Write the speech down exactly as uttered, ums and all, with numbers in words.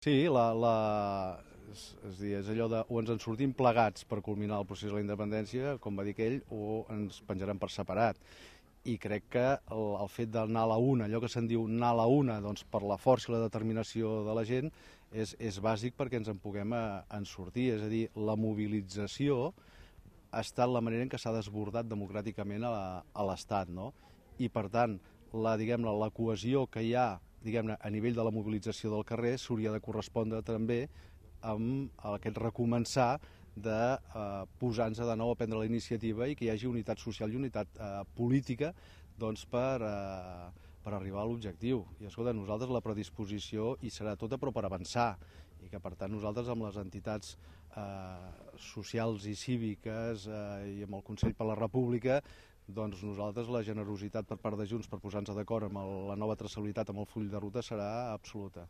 Sí, la, la, és, és, dir, és allò de o ens en sortim plegats per culminar el procés de la independència, com va dir aquell, o ens penjarem per separat. I crec que el, el fet d'anar a la una, allò que se'n diu anar a la una, doncs per la força i la determinació de la gent, és, és bàsic perquè ens en puguem a, en sortir. És a dir, la mobilització ha estat la manera en què s'ha desbordat democràticament a, a l'Estat, no? I per tant, la, diguem-ne, la cohesió que hi ha, diguem-ne, a nivell de la mobilització del carrer s'hauria de correspondre també amb aquest recomençar de eh, posar-nos de nou a prendre la iniciativa i que hi hagi unitat social i unitat eh, política, doncs, per, eh, per arribar a l'objectiu. I escolta, nosaltres la predisposició hi serà tota, però per avançar, i que per tant nosaltres amb les entitats eh, socials i cíviques eh, i amb el Consell per la República, doncs nosaltres la generositat per part de Junts per posar-nos d'acord amb el, la nova traçabilitat amb el full de ruta serà absoluta.